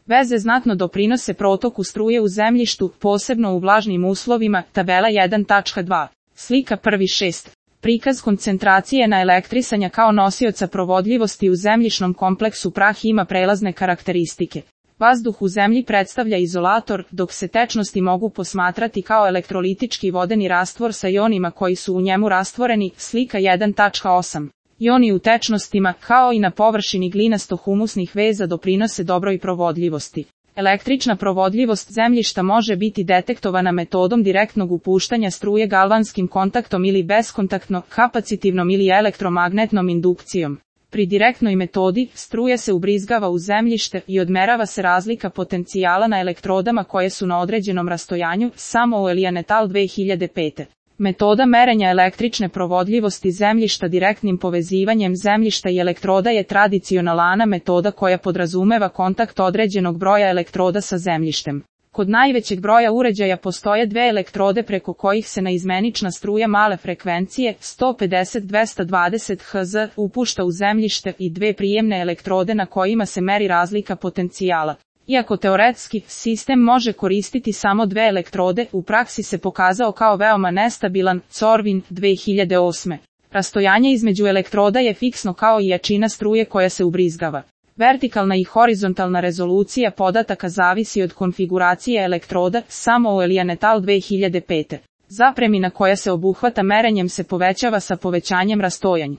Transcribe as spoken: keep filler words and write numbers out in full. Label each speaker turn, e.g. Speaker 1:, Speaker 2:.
Speaker 1: Veze znatno doprinose protoku struje u zemljištu, posebno u vlažnim uslovima, tabela jedan tačka dva. Slika prvi šest. Prikaz koncentracije na elektrisanja kao nosioca provodljivosti u zemljišnom kompleksu. Prah ima prelazne karakteristike. Vazduh u zemlji predstavlja izolator, dok se tečnosti mogu posmatrati kao elektrolitički vodeni rastvor sa ionima koji su u njemu rastvoreni. Slika jedan tačka osam. Ioni u tečnostima, kao i na površini glinasto-humusnih veza, doprinose dobroj provodljivosti. Električna provodljivost zemljišta može biti detektovana metodom direktnog upuštanja struje galvanskim kontaktom ili beskontaktno, kapacitivnom ili elektromagnetnom indukcijom. Pri direktnoj metodi, struja se ubrizgava u zemljište i odmerava se razlika potencijala na elektrodama koje su na određenom rastojanju. Samuel et al. dve hiljade pete. Metoda merenja električne provodljivosti zemljišta direktnim povezivanjem zemljišta i elektroda je tradicionalna metoda koja podrazumeva kontakt određenog broja elektroda sa zemljištem. Kod najvećeg broja uređaja postoje dve elektrode preko kojih se naizmenična struja male frekvencije sto pedeset do dvesta dvadeset hertza upušta u zemljište i dve prijemne elektrode na kojima se meri razlika potencijala. Iako teoretski sistem može koristiti samo dve elektrode, u praksi se pokazao kao veoma nestabilan. Corvin, dve hiljade osme. Rastojanje između elektroda je fiksno kao i jačina struje koja se ubrizgava. Vertikalna i horizontalna rezolucija podataka zavisi od konfiguracije elektroda. Samuel et al. dve hiljade pete. Zapremina koja se obuhvata merenjem se povećava sa povećanjem rastojanja.